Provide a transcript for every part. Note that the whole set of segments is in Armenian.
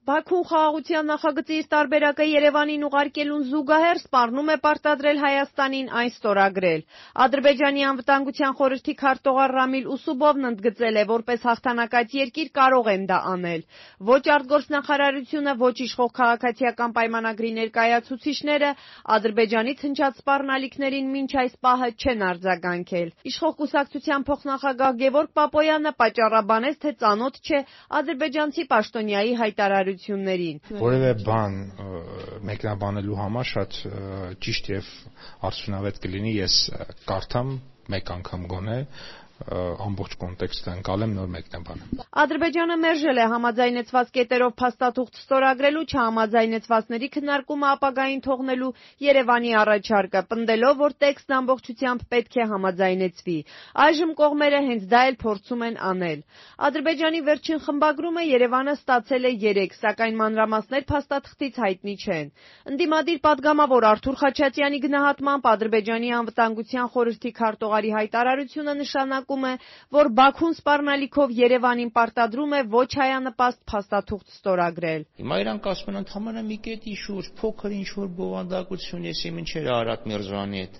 Բաքուն խաղաղության նախագծի իր տարբերակը Երևանին ուղարկելուն զուգահեռ սպառնում է պարտադրել Հայաստանին այն ստորագրել։ Ադրբեջանի անվտանգության խորհրդի քարտուղար Ռամիլ Ուսուբովն ընդգծել է, որպես հաղթանակած երկիր կարող են դա անել։ Ոչ արտգործնախարարությունը, ոչ իշխող քաղաքացիական պայմանագրի ներկայացուցիչները Ադրբեջանից հնչած սպառնալիքներին մինչ այս պահը չեն արձագանքել։ Իշխող կուսակցության փոխնախագահ Գևորգ Պապոյանը պատճառաբանեց, թե ծանոթ չէ ադրբեջանցի պաշտոնյայի հայտարարություններին։ Որևէ բան մեկնաբանելու համար շատ ճիշտ եւ արդյունավետ կլինի ես կարդամ մեկ անգամ գոնե ամբողջ կոնտեքստը ընկալեմ նոր մեկնաբանը։ Ադրբեջանը մերժել է համաձայնեցված կետերով փաստաթուղթ ստորագրելու, չհամաձայնեցվածների քննարկումը ապագային թողնելու Երևանի առաջարկը, պնդելով, որ տեքստն ամբողջությամբ պետք է համաձայնեցվի։ Այժմ կողմերը հենց դա էլ փորձում են անել։ Ադրբեջանի վերջին խմբագրումը Երևանը ստացել է 3, սակայն մանրամասներ փաստաթղթից հայտնի չեն։ Ընդդիմադիր падգամավոր Արթուր Խաչատյանի գնահատմամբ Ադրբեջանի անվտանգության խորհրդի քարտուղարի հայտարարությունը նշանակում է, որ Բաքուն սպառնալիքով Երևանին պարտադրում է ոչ հայանպաստ փաստաթուղթ ստորագրել։ Հիմա իրանք ասում են ընդհանրապես մի կետի շուրջ փոքր ինչ-որ բովանդակություն, ես մինչեր Արարատ Միրզոյանի այդ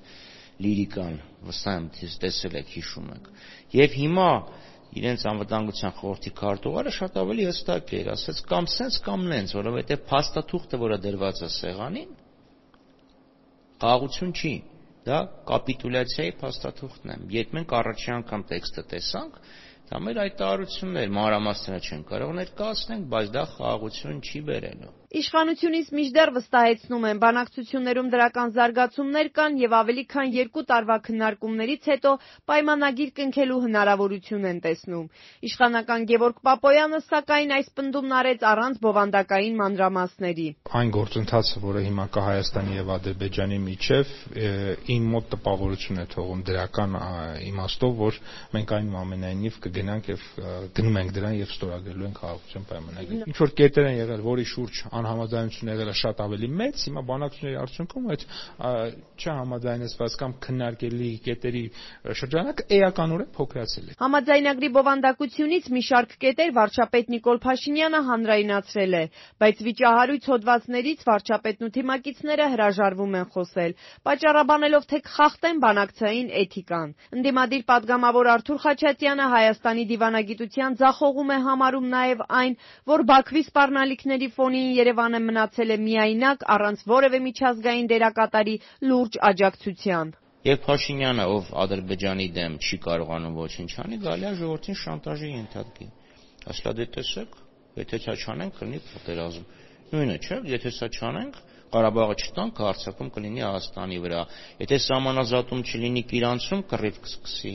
լիրիկան վստահ եմ տեսել եք, հիշում եք։ Եվ հիմա իրենց անվտանգության խորհրդի քարտուղարը շատ ավելի հստակ էր, ասաց կամ սենց կամ նենց, որովհետև փաստաթուղթը, որը դրված է սեղանին, խաղաղություն չի, դա կապիտուլյացիայի փաստաթուղթն է։ Երբ մենք առաջին անգամ տեքստը տեսանք, դա մեր հայտարարությունն էր, մանրամասները չեն կարող ներկայացնենք, բայց դա խաղաղություն չի բերելու։ Իշխանությունից մինչդեռ վստահեցնում են, բանակցություններում դրական զարգացումներ կան եւ ավելի քան 2 տարվա քննարկումներից հետո պայմանագիր կնքելու հնարավորություն են տեսնում։ Իշխանական Գևորգ Պապոյանը, սակայն, այս պնդումն արեց առանց բովանդակային մանրամասների։ Այն գործընթացը, որը հիմա կա Հայաստանի եւ Ադրբեջանի միջեւ, իմ մոտ տպավորություն է թողում դրական իմաստով, որ մենք այնուամենայնիվ կգնանք եւ գնում ենք դրան եւ ստորագրելու ենք խաղաղության պայմանագիր։ Ինչ որ կետեր են եղել, որի շուրջ անհամաձայնություն եղել է շատ ավելի մեծ, հիմա բանակցությունների արդյունքում այդ չհամաձայնեցված կամ քննարկելի կետերի շրջանակը էականորեն փոքրացել է։ Համաձայնագրի բովանդակությունից մի շարք կետեր վարչապետ Նիկոլ Փաշինյանը հանրայնացրել է, բայց վիճահարույց հոդվածներից վարչապետն ու թիմակիցները հրաժարվում են խոսել, պատճառաբանելով, թե կխախտեն բանակցային էթիկան։ Ընդդիմադիր падգամավոր Արթուր Խաչատյանը Հայաստանի դիվանագիտության ձախողում է համարում նաև այն, որ Բաքվի սպառնալիքների ֆոնին Երևանը մնացել է միայնակ, առանց որևէ միջազգային դերակատարի լուրջ աջակցության։ Եվ Փաշինյանը, ով Ադրբեջանի դեմ չի կարողանում ոչինչ անի, գալի է ժողովրդին շանտաժի ենթարկի։ Ասලා դե տեսեք, եթե սա չանենք, կլինի պատերազմ։ Նույնը չէ, եթե սա չանենք, Ղարաբաղը չտանք, հարձակում կլինի Հայաստանի վրա։ Եթե սահմանազատում չլինի Իրանցում, կռիվ կսկսի։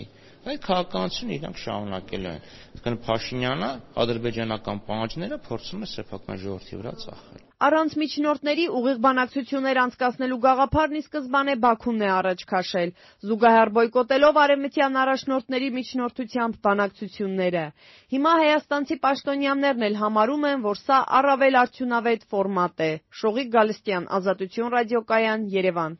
Այդ քաղաքականությունը իրանք շարունակել են։ Այսինքն Փաշինյանը ադրբեջանական պահանջները փորձում է սեփական ժողովրդի վրա ծախել։ Առանց միջնորդների ուղիղ բանակցություններ անցկացնելու գաղափարն ի սկզբանե Բաքուն է առաջ քաշել, զուգահեռ բոյկոտելով արևմտյան առաջնորդների միջնորդությամբ բանակցությունները։ Հիմա հայաստանցի պաշտոնյաներն էլ համարում են, որ սա առավել արդյունավետ ֆորմատ է։ Շողիկ Գալստյան, Ազատություն ռադիոկայան, Երևան։